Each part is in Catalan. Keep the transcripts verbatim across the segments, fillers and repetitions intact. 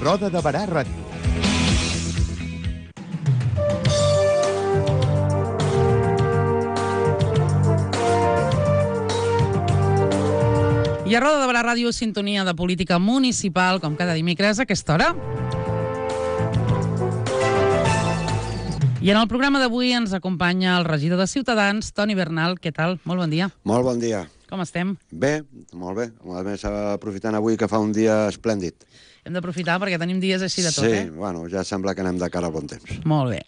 Roda de Barà Ràdio. I a Roda de Barà Ràdio, sintonia de política municipal, com cada dimecres a aquesta hora. I en el programa d'avui ens acompanya el regidor de Ciutadans, Toni Bernal. Què tal? Molt bon dia. Molt bon dia. Com estem? Bé, molt bé. A més, aprofitant avui que fa un dia esplèndid. Hem d'aprofitar perquè tenim dies així de tot, sí, eh? Sí, bueno, ja sembla que anem de cara al bon temps. Molt bé.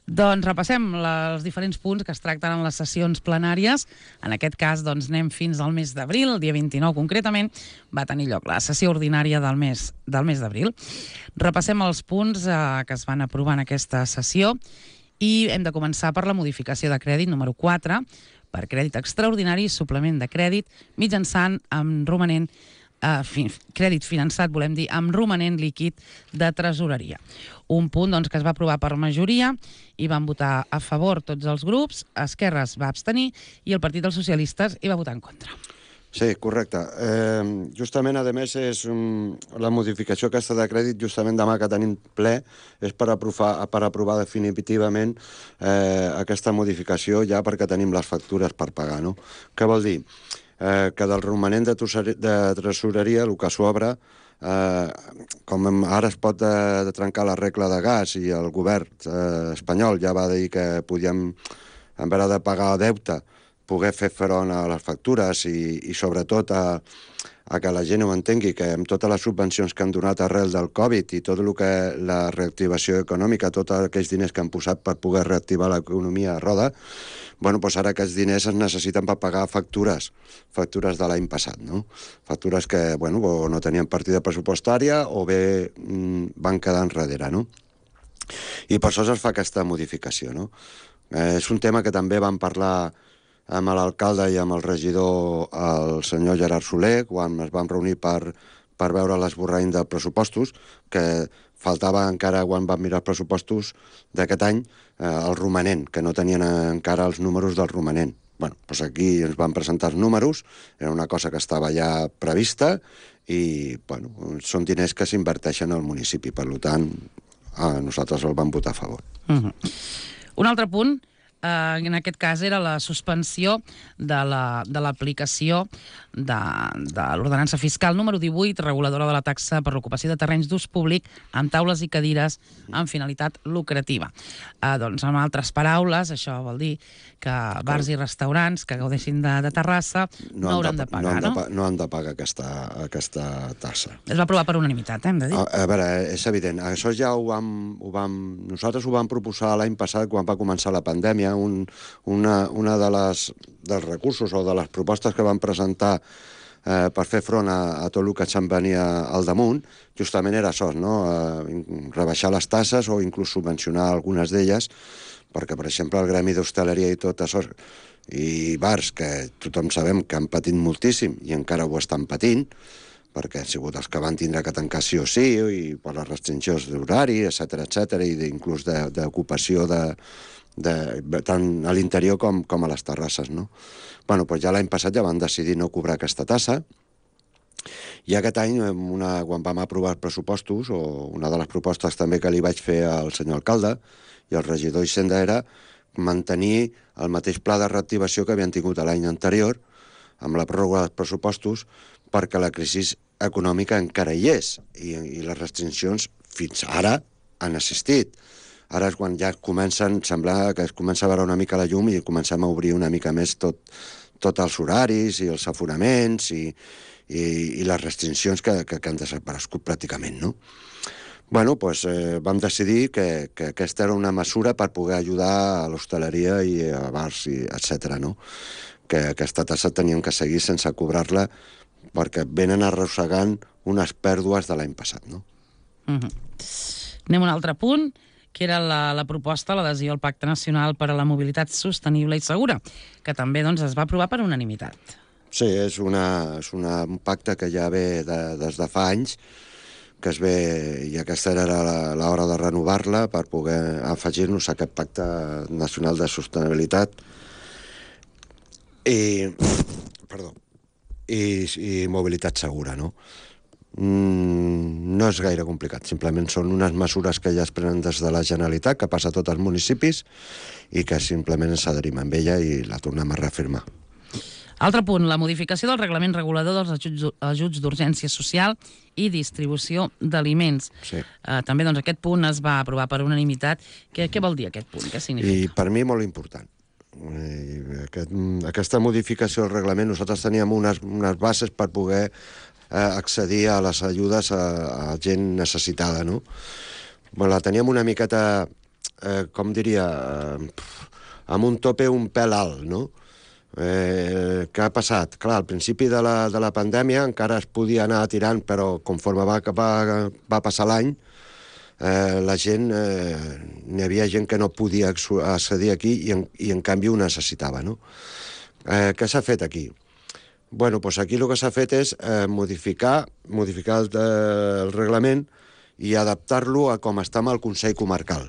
Doncs repassem la, els diferents punts que es tracten en les sessions plenàries. En aquest cas, doncs, anem fins al mes d'abril, el dia vint-i-nou concretament, va tenir lloc la sessió ordinària del mes del mes d'abril. Repassem els punts eh, que es van aprovar en aquesta sessió i hem de començar per la modificació de crèdit número quatre, per crèdit extraordinari, suplement de crèdit, mitjançant amb romanent Uh, fi, crèdit finançat, volem dir, amb romanent líquid de tresoreria. Un punt doncs, que es va aprovar per majoria i van votar a favor tots els grups, Esquerra es va abstenir i el Partit dels Socialistes hi va votar en contra. Sí, correcte. Eh, justament, a més, és um, la modificació aquesta de crèdit, justament demà que tenim ple, és per aprovar, per aprovar definitivament eh, aquesta modificació ja perquè tenim les factures per pagar, no? Què vol dir? Eh, que del romanent de, de tresoreria, el que s'obre, eh, com ara es pot de, de trencar la regla de gas i el govern eh, espanyol ja va dir que podíem, en vez de pagar deute, poder fer front a les factures i, i sobretot a, a que la gent ho entengui, que amb totes les subvencions que han donat arrel del Covid i tot el que la reactivació econòmica, tots aquells diners que han posat per poder reactivar l'economia a roda, bueno, doncs ara aquests diners es necessiten per pagar factures, factures de l'any passat, no? Factures que, bueno, o no tenien partida pressupostària o bé mm, van quedar enrere, no? I per això es fa aquesta modificació, no? Eh, és un tema que també vam parlar amb l'alcalde i amb el regidor, el senyor Gerard Soler, quan es vam reunir per, per veure l'esborrany de pressupostos, que faltava encara, quan vam mirar els pressupostos d'aquest any, eh, el romanent, que no tenien encara els números del romanent. Bueno, doncs aquí ens van presentar els números, era una cosa que estava ja prevista i, bueno, són diners que s'inverteixen al municipi, per tant, eh, nosaltres el vam votar a favor. Uh-huh. Un altre punt, Uh, en aquest cas era la suspensió de l'aplicació la, de, de, de l'ordenança fiscal número divuit, reguladora de la taxa per l'ocupació de terrenys d'ús públic amb taules i cadires amb finalitat lucrativa. Uh, doncs, en altres paraules, això vol dir que bars i restaurants que gaudeixin de, de terrassa no, no hauran de, de pagar, no? No, de, no han de pagar aquesta, aquesta tassa. Es va aprovar per unanimitat, eh, hem de dir. A, a veure, és evident, això ja ho vam, ho vam... Nosaltres ho vam proposar l'any passat quan va començar la pandèmia. Un, una, una de les dels recursos o de les propostes que van presentar eh, per fer front a, a tot el que se'n venia al damunt, justament era això, no? Eh, rebaixar les tasses o inclús subvencionar algunes d'elles, perquè, per exemple, el gremi d'hostaleria i tot això, i bars, que tothom sabem que han patit moltíssim i encara ho estan patint, perquè han sigut els que van tindre que tancar sí o sí, i per les restriccions d'horari, etcètera, etcètera, i inclús d'ocupació de, de, tant a l'interior com, com a les terrasses, no? Bueno, doncs ja l'any passat ja van decidir no cobrar aquesta tassa, i aquest any, una, quan vam aprovar els pressupostos, o una de les propostes també que li vaig fer al senyor alcalde i al regidor Hisenda era mantenir el mateix pla de reactivació que havien tingut l'any anterior, amb la pròrroga dels pressupostos, perquè la crisi econòmica encara hi és, i, i les restriccions fins ara han assistit. Ara és quan ja comencen, sembla que es comença a veure una mica la llum i comencem a obrir una mica més tot, tot els horaris i els aforaments i, i, i les restriccions que, que, que han desaparegut pràcticament, no? Bueno, doncs eh, vam decidir que, que aquesta era una mesura per poder ajudar a l'hostaleria i a bars, i etcètera, no? Que aquesta tassa tenien que seguir sense cobrar-la perquè venen arrossegant unes pèrdues de l'any passat, no? Uh-huh. Anem a un altre punt, que era la, la proposta, l'adhesió al Pacte Nacional per a la Mobilitat Sostenible i Segura, que també doncs, es va aprovar per unanimitat. Sí, és, una, és una, un pacte que ja ve de, des de fa anys, que es ve, i aquesta era l'hora de renovar-la per poder afegir-nos a aquest Pacte Nacional de Sostenibilitat i, perdó, i, i mobilitat segura, no? Mm, no és gaire complicat, simplement són unes mesures que ja es prenen des de la Generalitat, que passa a tots els municipis, i que simplement ens adherim amb ella i la tornem a reafirmar. Altre punt, la modificació del reglament regulador dels ajuts, ajuts d'urgència social i distribució d'aliments. Sí. Uh, també doncs, aquest punt es va aprovar per unanimitat. Què, què vol dir aquest punt? Què significa? I per mi molt important. I aquest, aquesta modificació del reglament, nosaltres teníem unes, unes bases per poder eh, accedir a les ajudes a, a gent necessitada, no? Bueno, la teníem una miqueta, eh, com diria, eh, amb un tope un pèl alt, no? Eh, què ha passat? Clar, al principi de la, de la pandèmia encara es podia anar tirant, però conforme va, va, va passar l'any, eh, la gent, eh, n'hi havia gent que no podia accedir aquí i en, i en canvi ho necessitava, no? Eh, què s'ha fet aquí? Bueno, doncs aquí el que s'ha fet és eh, modificar, modificar el, el reglament i adaptar-lo a com està amb el Consell Comarcal.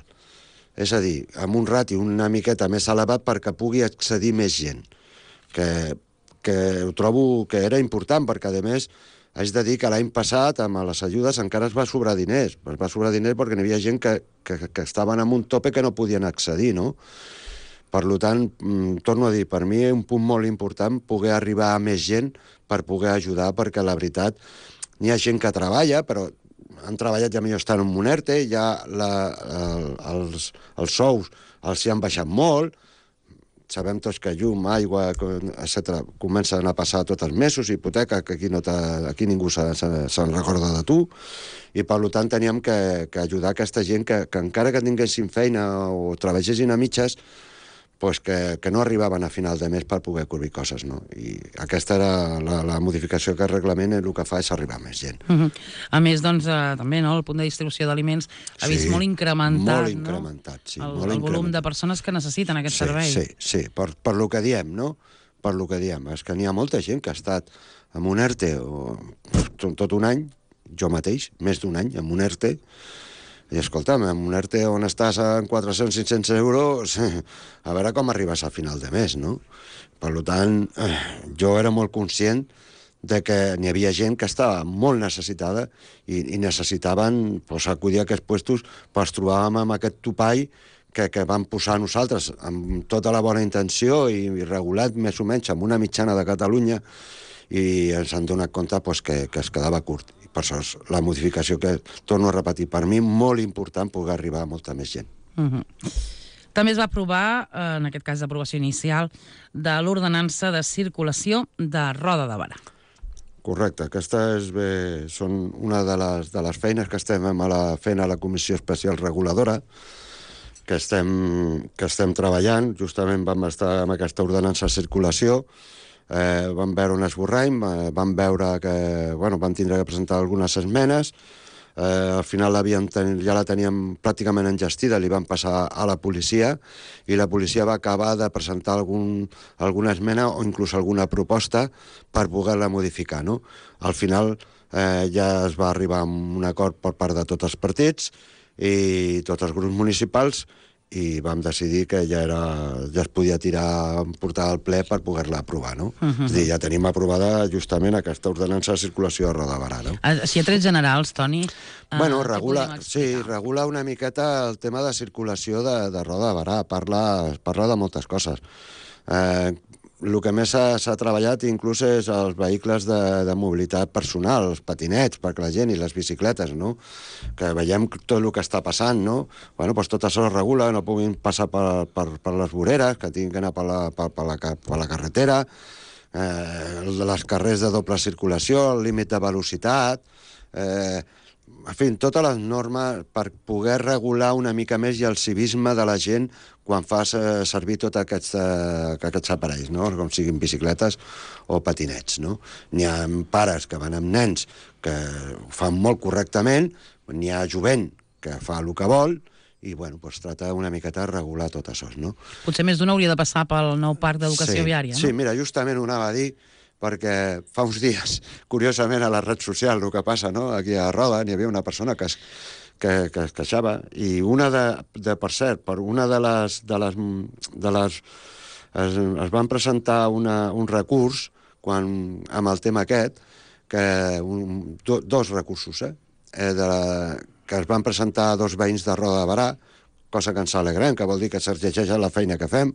És a dir, amb un rati una miqueta més elevat perquè pugui accedir més gent. Que, que ho trobo que era important, perquè, a més, haig de dir que l'any passat, amb les ajudes, encara es va sobrar diners. Es va sobrar diners perquè n'hi havia gent que, que, que estaven en un tope que no podien accedir, no? Per tant, torno a dir, per mi és un punt molt important poder arribar a més gent per poder ajudar, perquè la veritat, n'hi ha gent que treballa, però han treballat ja millor estan en un ERTE, ja la, el, els, els sous els hi han baixat molt, sabem tots que llum, aigua, etcètera, comencen a passar tots els mesos, hipoteca, que aquí, no aquí ningú se'n se, se recorda de tu, i per tant teníem que, que ajudar aquesta gent que, que encara que tinguessin feina o treballessin a mitges, pues que, que no arribaven a final de mes per poder cobrir coses, no? I aquesta era la, la modificació que el reglament el que fa és arribar a més gent. Uh -huh. A més, doncs, eh, també, no?, el punt de distribució d'aliments ha sí, vist molt incrementat, molt incrementat, no? sí, el, molt el incrementat. volum de persones que necessiten aquest sí, servei. Sí, sí, per, per lo que diem, no? Per lo que diem. És que n'hi ha molta gent que ha estat en un ERTE o, tot, tot un any, jo mateix, més d'un any, en un ERTE. I escolta'm, en un ERTE on estàs en quatre-cents a cinc-cents euros, a veure com arribes a final de mes, no? Per tant, jo era molt conscient de que n'hi havia gent que estava molt necessitada i, i necessitaven pues, acudir a aquests puestos, però ens trobàvem amb aquest topall que, que vam posar nosaltres amb tota la bona intenció i, i regulat més o menys amb una mitjana de Catalunya, i ens han donat compte pues, que, que es quedava curt. I per això és la modificació que, torno a repetir, per mi molt important poder arribar a molta més gent. Uh -huh. També es va aprovar, en aquest cas d'aprovació inicial, de l'ordenança de circulació de Roda de Berà. Correcte, aquesta és bé, són una de les, de les feines que estem a la, fent a la Comissió Especial Reguladora, que estem, que estem treballant. Justament vam estar amb aquesta ordenança de circulació, eh, vam veure un esborrany, eh, vam veure que, bueno, vam tindre que presentar algunes esmenes, eh, al final ten, ja la teníem pràcticament engestida, li vam passar a la policia, i la policia va acabar de presentar algun, alguna esmena o inclús alguna proposta per poder-la modificar, no? Al final eh, ja es va arribar a un acord per part de tots els partits i tots els grups municipals, i vam decidir que ja, era, ja es podia tirar, portar al ple per poder-la aprovar, no? Uh -huh. És a dir, ja tenim aprovada justament aquesta ordenança de circulació de Roda de Berà, no? Si a trets generals, Toni... Bueno, regula, sí, regula una miqueta el tema de circulació de, de Roda de Berà, parla, parla de moltes coses. Eh, el que més s'ha treballat inclús és els vehicles de, de mobilitat personal, els patinets per la gent i les bicicletes, no? Que veiem tot el que està passant, no? Bueno, doncs tot això es regula, no puguin passar per, per, per les voreres, que tinguin que anar per la, per, per la, per la carretera, eh, les carrers de doble circulació, el límit de velocitat, eh, en fi, totes les normes per poder regular una mica més i el civisme de la gent quan fas eh, servir tots aquests, eh, aquests aparells, no? Com siguin bicicletes o patinets, no? N'hi ha pares que van amb nens que ho fan molt correctament, n'hi ha jovent que fa el que vol, i, bueno, doncs trata una miqueta de regular tot això, no? Potser més d'una hauria de passar pel nou parc d'educació sí, viària, no? Sí, mira, justament ho anava a dir, perquè fa uns dies, curiosament, a la red social, el que passa, no?, aquí a Roda, n'hi havia una persona que es, que, que es queixava, i una de, de per cert, per una de les... De les, de les es, es van presentar una, un recurs quan, amb el tema aquest, que un, do, dos recursos, eh? eh, de la, que es van presentar dos veïns de Roda de Barà, cosa que ens alegrem, que vol dir que s'exigeix la feina que fem.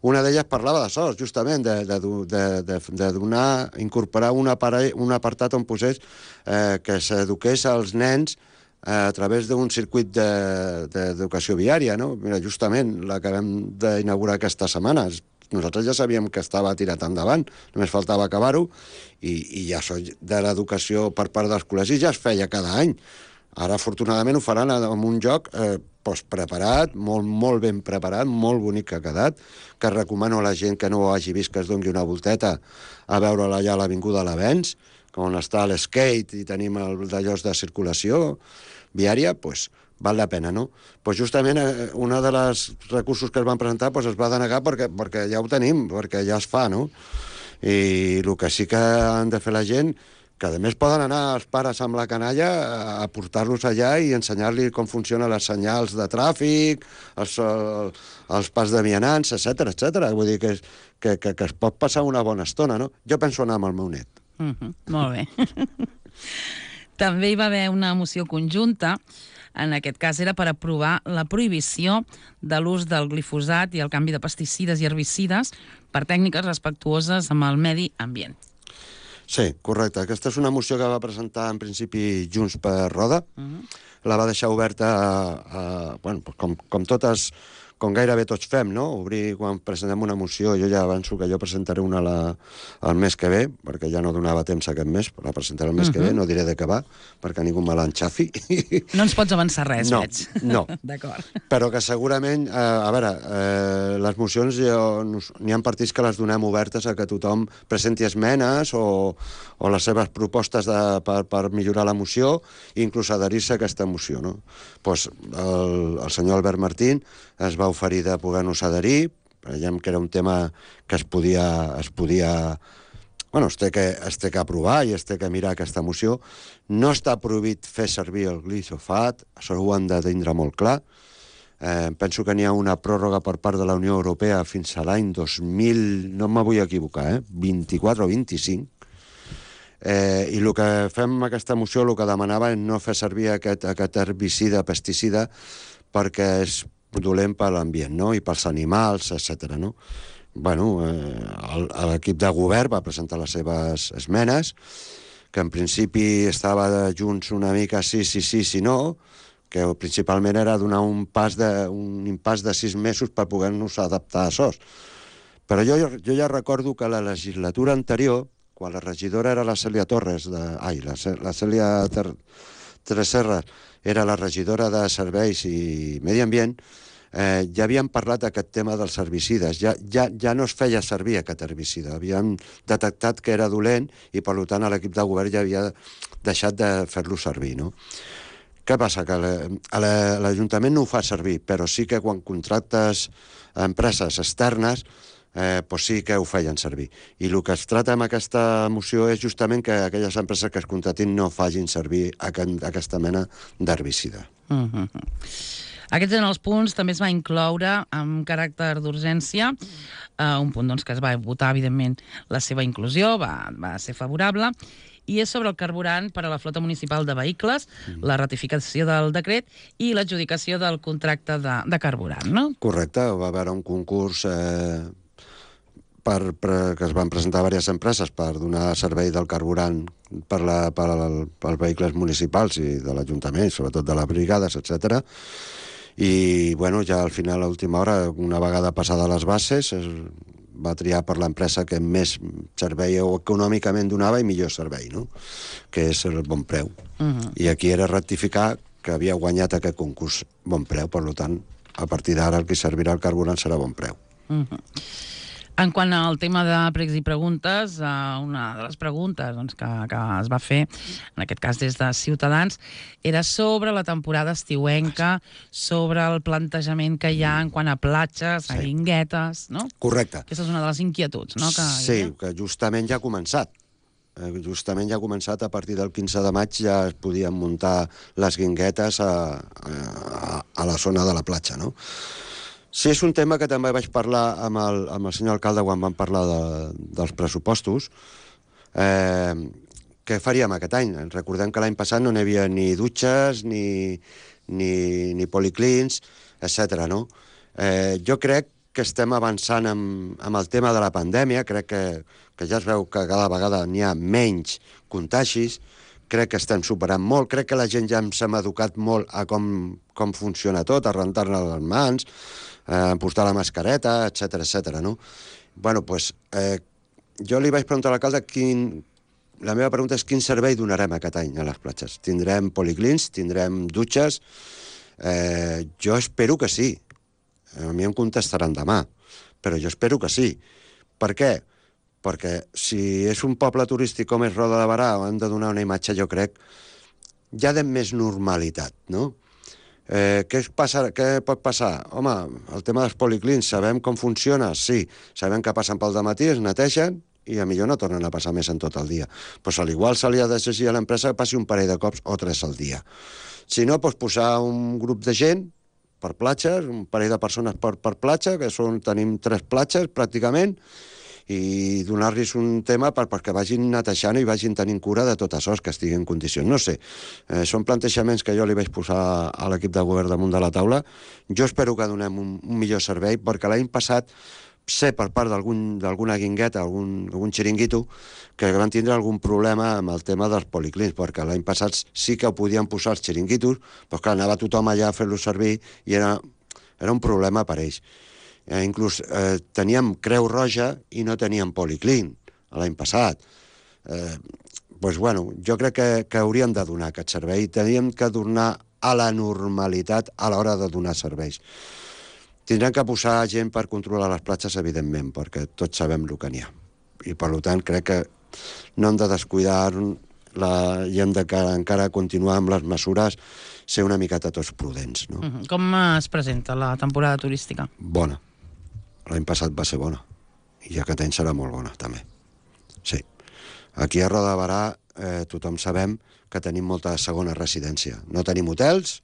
Una d'elles parlava de sols, justament, de, de, de, de, de donar, incorporar un, aparell, un apartat on posés eh, que s'eduqués als nens eh, a través d'un circuit d'educació de, viària, no? Mira, justament l'acabem d'inaugurar aquesta setmana. Nosaltres ja sabíem que estava tirat endavant, només faltava acabar-ho, i, i ja això de l'educació per part dels col·legis ja es feia cada any. Ara, afortunadament, ho faran en un joc eh, pues, preparat, molt, molt ben preparat, molt bonic que ha quedat, que recomano a la gent que no ho hagi vist que es doni una volteta a veure-la allà a l'Avinguda L'Avenç, on està l'skate i tenim el d'allò de circulació viària, pues, val la pena, no? Pues justament eh, una de les recursos que es van presentar pues, es va denegar perquè, perquè ja ho tenim, perquè ja es fa, no? I el que sí que han de fer la gent, que a més poden anar els pares amb la canalla a portar-los allà i ensenyar-li com funcionen les senyals de tràfic, els, els pas de vianants, etcètera, etcètera. Vull dir que, que, que, que es pot passar una bona estona, no? Jo penso anar amb el meu net. Mm-hmm. Molt bé. També hi va haver una moció conjunta, en aquest cas era per aprovar la prohibició de l'ús del glifosat i el canvi de pesticides i herbicides per tècniques respectuoses amb el medi ambient. Sí, correcte. Aquesta és una moció que va presentar en principi Junts per Roda. Uh-huh. La va deixar oberta a, a, bueno, com, com totes, com gairebé tots fem, no? Obrir quan presentem una moció, jo ja avanço que jo presentaré una la, el mes que ve, perquè ja no donava temps aquest mes, però la presentaré el mes uh-huh. que ve, no diré de què va, perquè ningú me l'enxafi. No ens pots avançar res, no, veig. No, d'acord. Però que segurament, eh, a veure, eh, les mocions n'hi ha partits que les donem obertes a que tothom presenti esmenes o, o les seves propostes de, per, per millorar la moció i inclús adherir-se a aquesta moció, no? Pues el, el senyor Albert Martín es va oferir de poder-nos adherir, veiem que era un tema que es podia, es podia bueno, es té, que, es té que aprovar i es té que mirar aquesta moció. No està prohibit fer servir el glifosat, això ho han de tindre molt clar. Eh, penso que n'hi ha una pròrroga per part de la Unió Europea fins a l'any dos mil, no me vull equivocar, eh? vint-i-quatre o vint-i-cinc. Eh, I el que fem amb aquesta moció, el que demanava és no fer servir aquest, aquest herbicida, pesticida, perquè és dolent per l'ambient, no? I pels animals, etcètera, no? Bueno, eh, l'equip de govern va presentar les seves esmenes, que en principi estava de Junts una mica sí, sí, sí, sí, no, que principalment era donar un pas de, un impàs de sis mesos per poder-nos adaptar a això. Però jo, jo ja recordo que la legislatura anterior, quan la regidora era la Cèlia Torres, de, ai, la, la Cèlia Ter, Tresserra era la regidora de Serveis i Medi Ambient, eh, ja havien parlat d'aquest tema dels herbicides. Ja, ja, ja no es feia servir aquest herbicida. Havien detectat que era dolent i, per tant, l'equip de govern ja havia deixat de fer-lo servir, no? Què passa? Que l'Ajuntament no ho fa servir, però sí que quan contractes empreses externes Eh, pues sí que ho feien servir. I el que es trata amb aquesta moció és justament que aquelles empreses que es contratin no facin servir aquest, aquesta mena d'herbicida. Uh-huh. Aquests eren els punts. També es va incloure amb caràcter d'urgència uh, un punt doncs, que es va votar, evidentment, la seva inclusió, va, va ser favorable, i és sobre el carburant per a la flota municipal de vehicles, mm. la ratificació del decret i l'adjudicació del contracte de, de carburant, no? Correcte, va haver un concurs eh, per, per, que es van presentar diverses empreses per donar servei del carburant per, la, per al, pels vehicles municipals i de l'Ajuntament, sobretot de les brigades, etcètera. I, bueno, ja al final, a l'última hora, una vegada passada les bases, es va triar per l'empresa que més servei o econòmicament donava i millor servei, no? Que és el Bon Preu. Uh-huh. I aquí era rectificar que havia guanyat aquest concurs Bon Preu, per tant, a partir d'ara el que servirà el carburant serà Bon Preu. Uh-huh. En quant al tema de pregs i preguntes, una de les preguntes doncs, que, que es va fer, en aquest cas des de Ciutadans, era sobre la temporada estiuenca, sobre el plantejament que hi ha en quant a platges, sí. a guinguetes, no? Correcte. Aquesta és una de les inquietuds, no? Que sí, que justament ja ha començat. Justament ja ha començat, a partir del quinze de maig ja es podien muntar les guinguetes a, a, a la zona de la platja, no? Sí, és un tema que també vaig parlar amb el, amb el senyor alcalde quan vam parlar de, dels pressupostos, eh, què faríem aquest any? Recordem que l'any passat no n'hi havia ni dutxes, ni, ni, ni policlins, etcètera. No? Eh, jo crec que estem avançant amb, amb el tema de la pandèmia, crec que, que ja es veu que cada vegada n'hi ha menys contagis, crec que estem superant molt, crec que la gent ja ens hem educat molt a com, com funciona tot, a rentar-ne les mans, a eh, posar la mascareta, etcètera, etcètera. No? Bueno, doncs, eh, jo li vaig preguntar a l'alcalde quin... La meva pregunta és quin servei donarem aquest any a les platges. Tindrem policlins, tindrem dutxes? Eh, jo espero que sí. A mi em contestaran demà, però jo espero que sí. Per què? Perquè si és un poble turístic com és Roda de Berà, hem de donar una imatge, jo crec, ja de més normalitat, no? Eh, què, passa, què pot passar? Home, el tema dels policlins, sabem com funciona? Sí. Sabem que passen pel dematí, es netegen, i a millor no tornen a passar més en tot el dia. Pues a l'igual se li ha d'exigir a l'empresa que passi un parell de cops o tres al dia. Si no, pues posar un grup de gent per platges, un parell de persones per, per platja, que són, tenim tres platges pràcticament, i donar-los un tema per, perquè vagin netejant i vagin tenint cura de tot això, que estigui en condicions. No sé, eh, són plantejaments que jo li vaig posar a l'equip de govern damunt de la taula. Jo espero que donem un, un millor servei, perquè l'any passat sé per part d'alguna algun, guingueta, algun, algun xiringuito, que van tindre algun problema amb el tema dels policlins, perquè l'any passat sí que ho podien posar els xiringuitos, però clar, anava tothom allà a fer-los servir i era, era un problema per ells. Eh, inclús eh, teníem Creu Roja i no teníem policlin l'any passat. Eh, doncs, bueno, jo crec que, que hauríem de donar aquest servei, teníem que tornar a la normalitat a l'hora de donar serveis. Tindran que posar gent per controlar les platges, evidentment, perquè tots sabem el que n'hi ha. I, per tant, crec que no hem de descuidar la... i hem de encara continuar amb les mesures, ser una miqueta tots prudents. No? Uh-huh. Com es presenta la temporada turística? Bona. L'any passat va ser bona. I aquest any serà molt bona, també. Sí. Aquí a Roda de Berà eh, tothom sabem que tenim molta segona residència. No tenim hotels,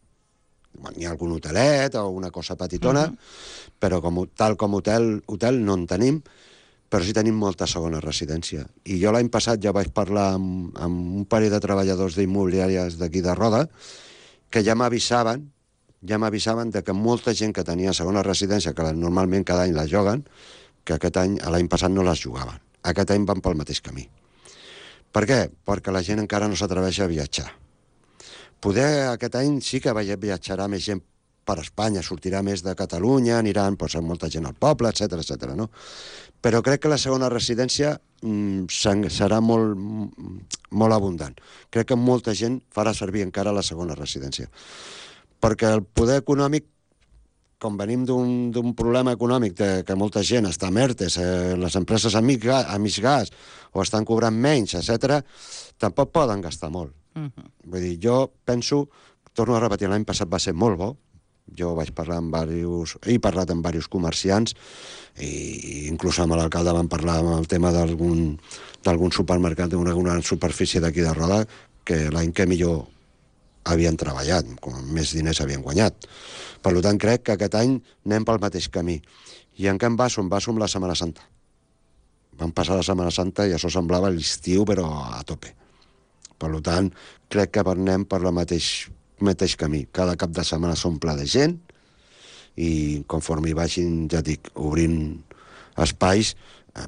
hi ha algun hotelet o una cosa petitona, uh-huh. però com, tal com hotel, hotel no en tenim, però sí tenim molta segona residència. I jo l'any passat ja vaig parlar amb, amb un parell de treballadors d'immobiliàries d'aquí de Roda, que ja m'avisaven, ja m'avisaven de que molta gent que tenia segona residència, que normalment cada any la juguen, que aquest any, l'any passat no les jugaven. Aquest any van pel mateix camí. Per què? Perquè la gent encara no s'atreveix a viatjar. Poder aquest any sí que viatjarà més gent per Espanya, sortirà més de Catalunya, aniran doncs, molta gent al poble, etcètera, etcètera, no? Però crec que la segona residència mm, serà molt, molt abundant. Crec que molta gent farà servir encara la segona residència. Perquè el poder econòmic, com venim d'un problema econòmic de, que molta gent està a ERTEs, eh, les empreses a mig gas o estan cobrant menys, etcètera, tampoc poden gastar molt. Uh-huh. Vull dir, jo penso, torno a repetir, l'any passat va ser molt bo, jo vaig parlar amb diversos, he parlat amb diversos comerciants, i inclús amb l'alcalde vam parlar amb el tema d'algun supermercat, d'una superfície d'aquí de Roda, que l'any que millor havien treballat, com més diners havien guanyat. Per tant, crec que aquest any anem pel mateix camí. I en què em baso? Em baso amb la Setmana Santa. Vam passar la Setmana Santa i això semblava l'estiu, però a tope. Per tant, crec que anem per el mateix, mateix camí. Cada cap de setmana s'omple de gent i conforme hi vagin, ja dic, obrint espais,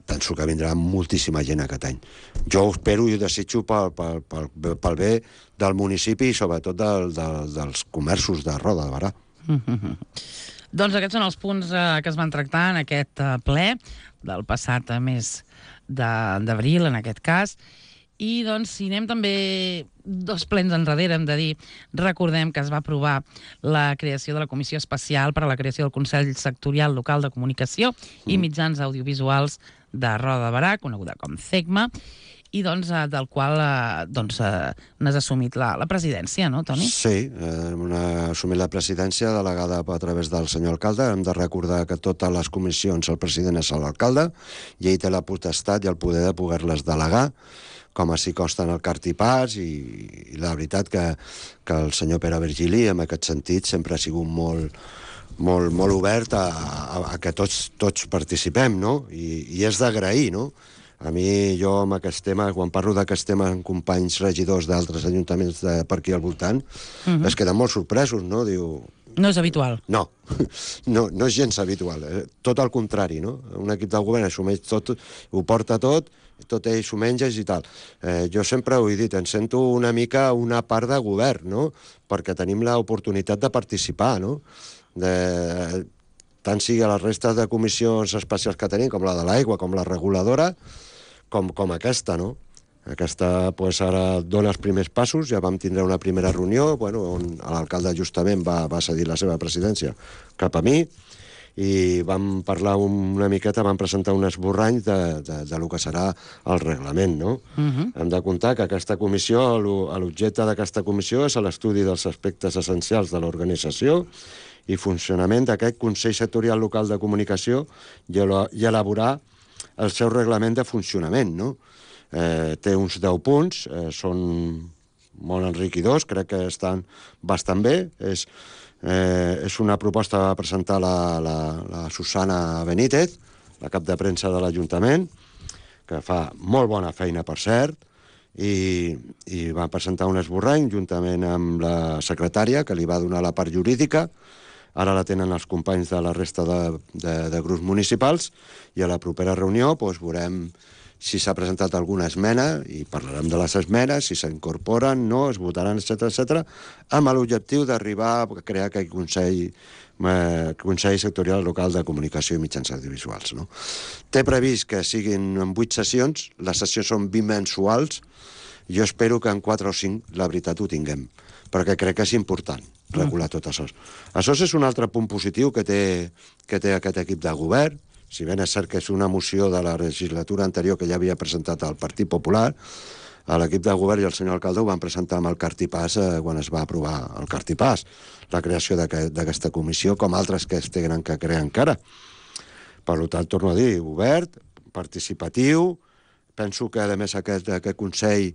penso que vindrà moltíssima gent aquest any. Jo ho espero i ho desitjo pel, pel, pel, pel bé del municipi i sobretot del, del, dels comerços de Roda de Berà. Mm-hmm. Doncs aquests són els punts eh, que es van tractar en aquest eh, ple del passat mes d'abril, en aquest cas. I doncs, si anem també dos plens enrere, hem de dir, recordem que es va aprovar la creació de la Comissió Especial per a la creació del Consell Sectorial Local de Comunicació i Mitjans Audiovisuals de Roda de Berà, coneguda com CECMA, i doncs, del qual doncs, n'has assumit la, la presidència, no, Toni? Sí, hem assumit la presidència delegada a través del senyor alcalde. Hem de recordar que totes les comissions el president és l'alcalde i ell té la potestat i el poder de poder-les delegar, com així costa en el cartipàs, i, i la veritat que, que el senyor Pere Virgili, en aquest sentit, sempre ha sigut molt, molt, molt obert a, a, a que tots, tots participem, no? I, i és d'agrair, no? A mi, jo, amb aquest tema, quan parlo d'aquest tema amb companys regidors d'altres ajuntaments de per aquí al voltant, uh-huh. es queden molt sorpresos, no? Diu... No és habitual. No, no, no és gens habitual. Eh? Tot el contrari, no? Un equip del govern assumeix tot, ho porta tot, tot ell s'ho menja i tal. Eh, jo sempre ho he dit, em sento una mica una part de govern, no? Perquè tenim l'oportunitat de participar, no? De... tant sigui a les restes de comissions especials que tenim, com la de l'aigua, com la reguladora, com, com aquesta, no? Aquesta, pues, ara dona els primers passos, ja vam tindre una primera reunió, bueno, on l'alcalde justament va, va cedir la seva presidència cap a mi, i vam parlar una miqueta, vam presentar un esborrany de, de, de lo que serà el reglament, no? Uh-huh. Hem de comptar que aquesta comissió, l'objecte d'aquesta comissió és l'estudi dels aspectes essencials de l'organització i funcionament d'aquest Consell Sectorial Local de Comunicació i elaborar el seu reglament de funcionament, no? Eh, té uns deu punts, eh, són molt enriquidors, crec que estan bastant bé. És, eh, és una proposta que va presentar la, la, la Susana Benítez, la cap de premsa de l'Ajuntament, que fa molt bona feina, per cert, i, i va presentar un esborrany juntament amb la secretària, que li va donar la part jurídica. Ara la tenen els companys de la resta de, de, de grups municipals, i a la propera reunió doncs, veurem si s'ha presentat alguna esmena, i parlarem de les esmenes, si s'incorporen, no, es votaran, etcètera, etcètera, amb l'objectiu d'arribar a crear aquest Consell, eh, Consell Sectorial Local de Comunicació i Mitjans Audiovisuals. No? Té previst que siguin en vuit sessions, les sessions són bimensuals, jo espero que en quatre o cinc, la veritat, ho tinguem, perquè crec que és important regular tot això. Això és un altre punt positiu que té, que té aquest equip de govern, si ben és cert que és una moció de la legislatura anterior que ja havia presentat el Partit Popular, l'equip de govern i el senyor alcalde ho van presentar amb el Cartipàs eh, quan es va aprovar el Cartipàs, la creació d'aquesta comissió, com altres que es tenen que crear encara. Per tant, torno a dir, obert, participatiu, penso que, a més, aquest, aquest Consell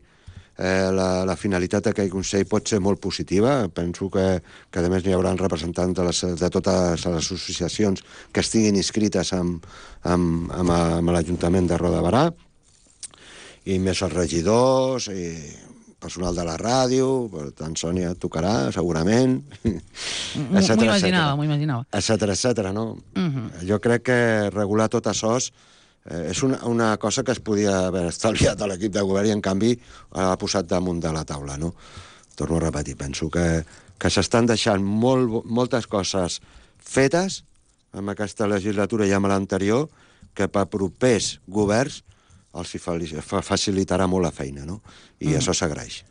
Eh, la, la finalitat d'aquest Consell pot ser molt positiva. Penso que, que a més, hi haurà representants de, les, de totes les associacions que estiguin inscrites amb, amb, amb, amb l'Ajuntament de Roda de Berà, i més els regidors, i personal de la ràdio, per tant, Sònia tocarà, segurament, etcètera, m'ho imaginava, m'ho imaginava. Etcètera, etcètera, no? Uh-huh. Jo crec que regular tot això Eh, és una, una cosa que es podia haver estalviat a l'equip de govern i, en canvi, ha posat damunt de la taula, no? Torno a repetir, penso que, que s'estan deixant molt, moltes coses fetes amb aquesta legislatura i amb l'anterior, que per propers governs els facilitarà molt la feina, no? I mm. això s'agraeix.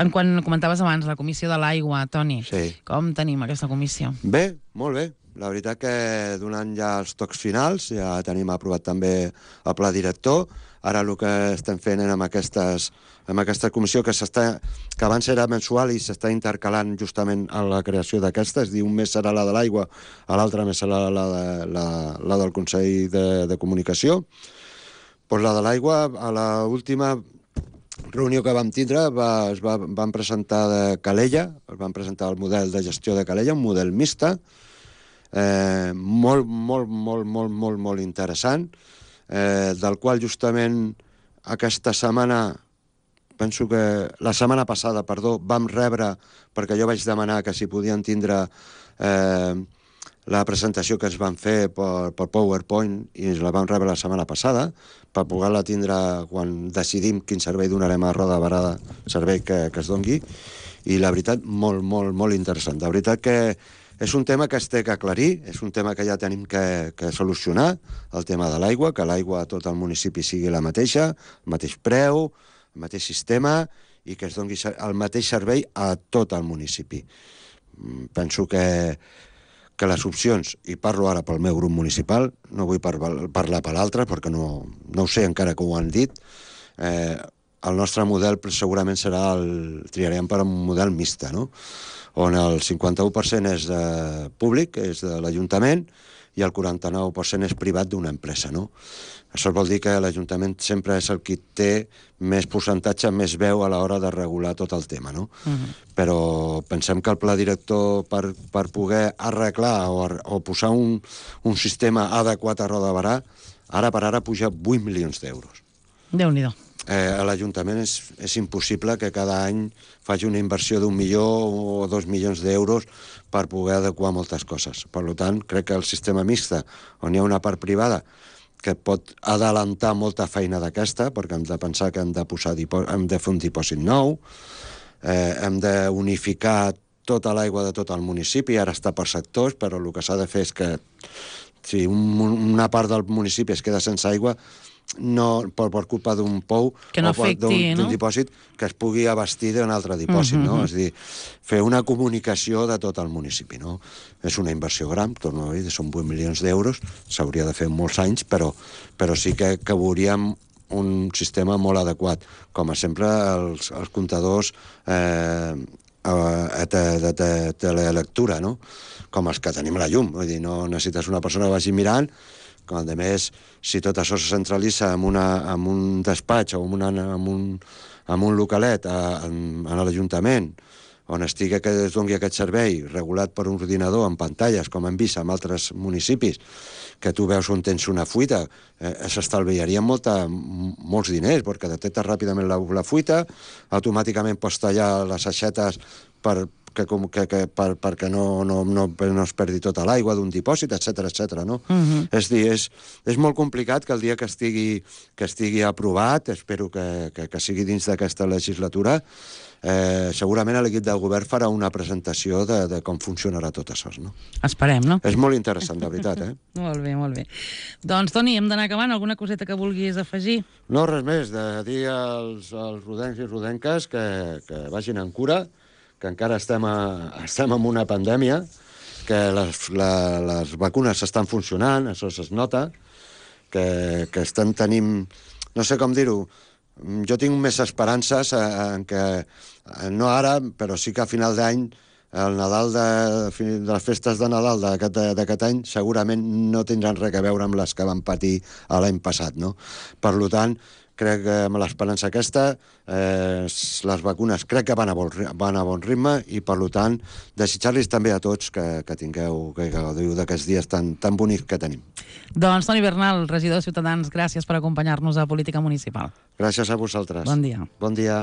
En quan comentaves abans la comissió de l'aigua, Toni, sí. Com tenim aquesta comissió? Bé, molt bé. La veritat que donant ja els tocs finals, ja tenim aprovat també el pla director. Ara el que estem fent amb, aquestes, amb aquesta comissió, que, que abans era mensual i s'està intercalant justament a la creació d'aquesta, és a dir, un mes serà la de l'aigua, a l'altre mes serà la, la, la, la del Consell de, de Comunicació. Pues la de l'aigua, a l'última reunió que vam tindre, va, es va, van presentar de Calella, es van presentar el model de gestió de Calella, un model mixta, Eh, molt, molt, molt, molt, molt, molt interessant, eh, del qual justament aquesta setmana, penso que la setmana passada, perdó, vam rebre, perquè jo vaig demanar que si podien tindre eh, la presentació que es van fer per, per PowerPoint, i la vam rebre la setmana passada, per poder-la tindre quan decidim quin servei donarem a Roda de Berà, servei que, que es dongui, i la veritat, molt, molt, molt interessant. La veritat que és un tema que es té que aclarir, és un tema que ja tenim que, que solucionar, el tema de l'aigua, que l'aigua a tot el municipi sigui la mateixa, el mateix preu, el mateix sistema, i que es doni el mateix servei a tot el municipi. Penso que, que les opcions, i parlo ara pel meu grup municipal, no vull par parlar per l'altre, perquè no, no ho sé encara que ho han dit, eh, el nostre model segurament serà el... triarem per un model mixta, no?, on el cinquanta-u per cent és de públic, és de l'Ajuntament, i el quaranta-nou per cent és privat d'una empresa, no? Això vol dir que l'Ajuntament sempre és el qui té més percentatge, més veu a l'hora de regular tot el tema, no? Uh-huh. Però pensem que el pla director, per, per poder arreglar o, o posar un, un sistema adequat a Roda de Berà, ara per ara puja vuit milions d'euros. Déu-n'hi-do. Eh, a l'Ajuntament és, és impossible que cada any faci una inversió d'un milió o dos milions d'euros per poder adequar moltes coses. Per tant, crec que el sistema mixta, on hi ha una part privada que pot adelantar molta feina d'aquesta, perquè hem de pensar que hem de, posar hem de fer un dipòsit nou, eh, hem d'unificar tota l'aigua de tot el municipi, ara està per sectors, però el que s'ha de fer és que si un, una part del municipi es queda sense aigua, no per, per culpa d'un pou que no o afecti, d'un no? dipòsit que es pugui abastir d'un altre dipòsit, uh-huh. no? És a dir, fer una comunicació de tot el municipi, no? És una inversió gran, torno a dir, són vuit milions d'euros, s'hauria de fer en molts anys, però, però sí que, que veuríem un sistema molt adequat. Com a sempre, els, els comptadors eh, de, de, de telelectura, no? Com els que tenim a la llum, vull dir, no necessites una persona que vagi mirant. Com a més, si tot això se centralitza en, una, en un despatx o en, una, en, un, en un localet a, en, en l'Ajuntament, on estigui que es doni aquest servei regulat per un ordinador amb pantalles, com hem vist en altres municipis, que tu veus on tens una fuita, eh, s'estalviarien molta, molts diners, perquè detectes ràpidament la, la fuita, automàticament pots tallar les aixetes per que, que, que, per, perquè no, no, no, no es perdi tota l'aigua d'un dipòsit, etcètera, etcètera, no? Uh-huh. És dir, és, és molt complicat que el dia que estigui, que estigui aprovat, espero que, que, que sigui dins d'aquesta legislatura, eh, segurament l'equip del govern farà una presentació de, de com funcionarà tot això, no? Esperem, no? És molt interessant, de veritat, eh? Molt bé, molt bé. Doncs, Toni, hem d'anar acabant. Alguna coseta que vulguis afegir? No, res més, de dir als, als rodencs i rodenques que, que vagin en cura, que encara estem, a, estem en una pandèmia, que les, la, les vacunes estan funcionant, això es nota, que, que estem tenint... No sé com dir-ho, jo tinc més esperances en que, no ara, però sí que a final d'any, el Nadal de, de les festes de Nadal d'aquest any segurament no tindran res a veure amb les que van patir l'any passat, no? Per tant, crec que amb l'esperança aquesta, eh, les vacunes crec que van a bon, van a bon ritme i, per tant, desitjar-los també a tots que, que tingueu, que gaudiu d'aquests dies tan, tan bonics que tenim. Doncs Toni Bernal, regidor de Ciutadans, gràcies per acompanyar-nos a Política Municipal. Gràcies a vosaltres. Bon dia. Bon dia.